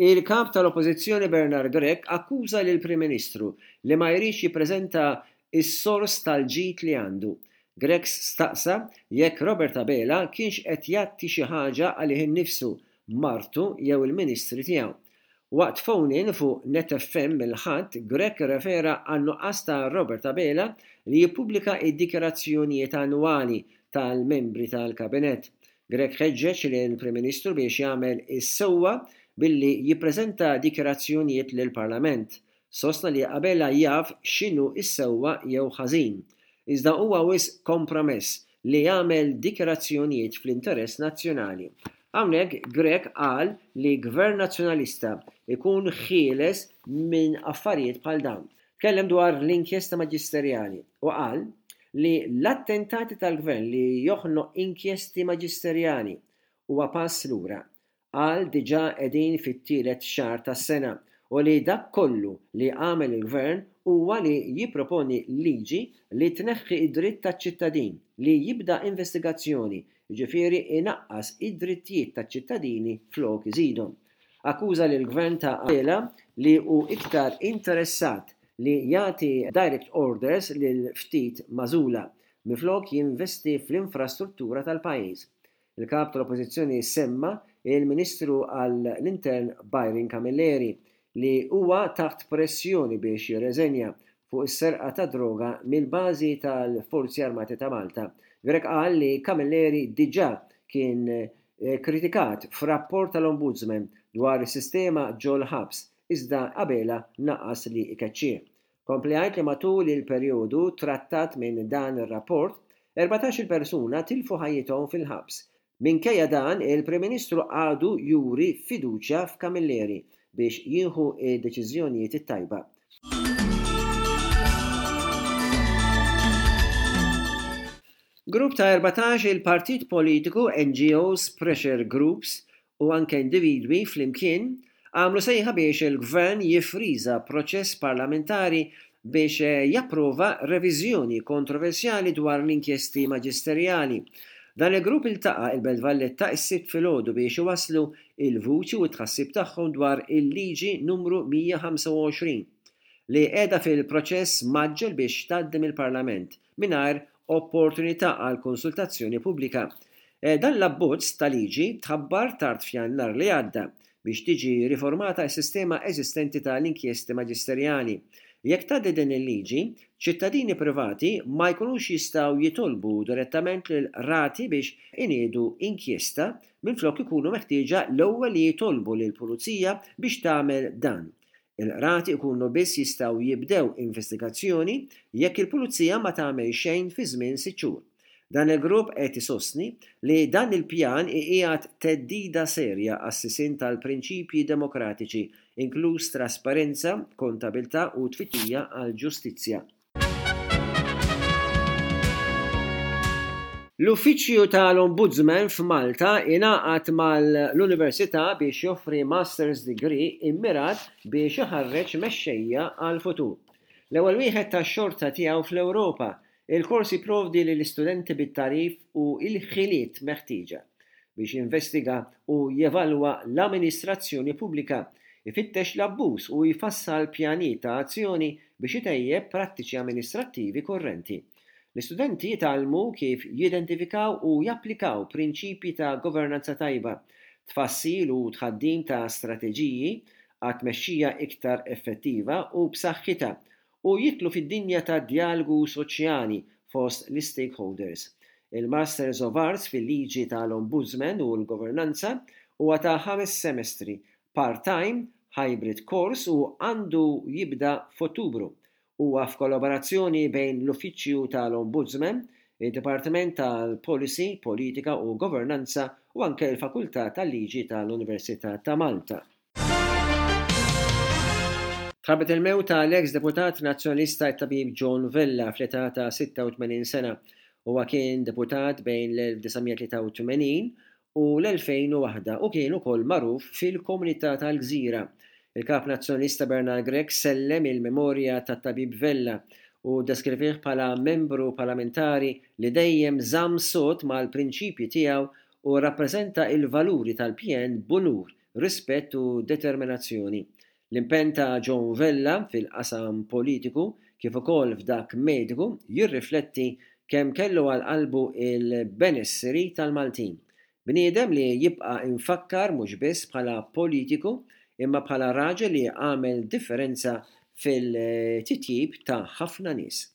Il-Kap tal-Oppożizzjoni Bernard Grech akkuża lill-Prim Ministru li ma jridx jippreżenta s-sors tal-ġid li għandu. Grech staqsa jekk Robert Abela kienx qed jgħatti xi ħaġa għalih innifsu, martu jew il-Ministri tiegħu. Waqt phone-in fuq Net FM il-Ħadd, Grech irrefera għan-nuqqas ta' Robert Abela li jippubblika d-dikjarazzjonijiet annwali tal-membri tal-Kabinett. Grech ħeġġeġ lill-Prim Ministru biex jagħmel is-sewwa billi jippreżenta dikjarazzjonijiet lill-Parlament. Sostna li Abela jaf x'inhu s-sewwa jew ħażin. Iżda huwa wisq kompromess li jagħmel dikjarazzjonijiet fl-interess nazzjonali. Hawnhekk Grech qal li Gvern Nazzjonalista jkun ħieles minn affarijiet bħal dawn. Tkellem dwar l-inkjesta maġisterjali u qal li l-attentati tal-Gvern li joħnoq inkjesti maġisterjali huwa pass lura. Qal diġà qegħdin fit-tielet xahar tas-sena u li dak kollu li għamel il-Gvern huwa li jipproponi liġi li tneħħi d-dritt taċ-ċittadin li jibda investigazzjoni, jiġifieri inaqqas id-drittijiet taċ-ċittadini flok iżidhom. Akkuża lill-Gvern ta' Abela li hu iktar interessat li jagħti direct orders lil ftit magħżula, minflok jinvesti fl-infrastruttura tal-pajjiż. Il-Kap tal-Oppożizzjoni semma il-Ministru għall-Intern Byron Camilleri li huwa taħt pressjoni biex jirreżenja fuq is-serqa tad-droga mill-bażi tal-Forzi Armati ta' Malta. Grech qal li Camilleri diġà kien kritikat f'rapport tal-Ombudsman dwar is-sistema ġol-ħabs iżda Abela naqas li jkeċċih. Kompla jgħid li matul il-perjodu trattat minn dan ir-rapport, 14-il persuna tilfu ħajjithom fil-ħabs. Minkejja dan, il-Prim Ministru għadu juri fiduċja f'Camilleri biex jieħu d-deċiżjonijiet it-tajba. Grupp ta' 14 il partit politiku, NGOs, pressure groups u anke individwi flimkien għamlu sejħa biex il-Gvern jiffriża proċess parlamentari biex japprova reviżjoni kontroversjali dwar l-inkjesti maġisterjali. Dan il-grupp iltaqa' il-Belt Valletta s-Sibt filgħodu biex iwasslu l-vuċi u t-tħassib tagħhom dwar il-Liġi Numru 125 li qiegħda fil-proċess mgħaġġel biex tgħaddi mill-Parlament mingħajr opportunità għal konsultazzjoni pubblika. Dan l-abbozz ta' liġi tħabbar tard f'Jannar li għadda biex tiġi riformata s-sistema eżistenti ta' l-inkjesti maġisterjali. Jekk tgħaddi din il-liġi, ċittadini privati ma jkunux jistgħu jitolbu direttament lill-qrati biex iniedu inkjesta minflok ikunu meħtieġa l-ewwel li jitolbu lill-pulizija biex tagħmel dan. Il-qrati jkunu biss jistgħu jibdew investigazzjoni jekk il-pulizija ma tagħmel xejn fi żmien sitt xhur. Dan il-grupp qed isostni li dan il-pjan iqiegħed theddida serja għas-sisien tal-prinċipji demokratiċi, inkluż trasparenza, kontabilità u tfittxija għall-ġustizzja. L-Uffiċċju tal-Ombudsman f'Malta ingħaqad mal-Università biex joffri Master's Degree immirat biex iħarreġ mexxejja għall-futur. L-ewwel wieħed tax-xorta tiegħu fl-Ewropa, il-kors jipprovdi lill-istudenti bit-tagħrif u l-ħiliet meħtieġa biex jinvestiga u jevalwa l-amministrazzjoni pubblika, ifittex l-abbuż u jfassal pjanijiet ta' azzjoni biex itejjeb prattiċi amministrattivi kurrenti. L-istudenti jitgħallmu kif jidentifikaw u japplikaw prinċipji ta' governanza tajba, tfassil u tħaddim ta' strateġiji għat-tmexxija iktar effettiva u b'saħħitha, u jidħlu fid-dinja tad-djalogu soċjali fost l-istakeholders. Il-Masters of Arts fil-Liġi tal-Ombudsman u l-Governanza huwa ta' ħames semestri, part-time, hybrid course u għandu jibda f'Ottubru. Huwa f'kollaborazzjoni bejn l-Uffiċċju tal-Ombudsman, id-Dipartiment tal-Policy, Politika u Governanza u anke l-Fakultà tal-Liġi tal-Università ta' Malta. Tħabbret il-mewt ta' l-eks deputat Nazzjonalista t-Tabib John Vella fl-età ta' 86 sena. Huwa kien deputat bejn l-1983 u l-2001 u kien ukoll magħruf fil-komunità tal-Gżira. Il-Kap Nazzjonalista Bernard Grech sellem il-memorja tat-Tabib Vella u ddeskrivih bħala membru parlamentari li dejjem żamm sod mal-prinċipji tiegħu u rrappreżenta l-valuri tal-PN b'unur. rispett u determinazzjoni. L-impenn ta' John Vella fil-qasam politiku kif ukoll f'dak mediku jirrifletti kemm kellu għal qalbu l-benesseri tal-Maltin. Bniedem li jibqa' imfakkar mhux biss bħala politiku imma bħala raġel li għamel differenza fil-titjib ta' ħafna nies.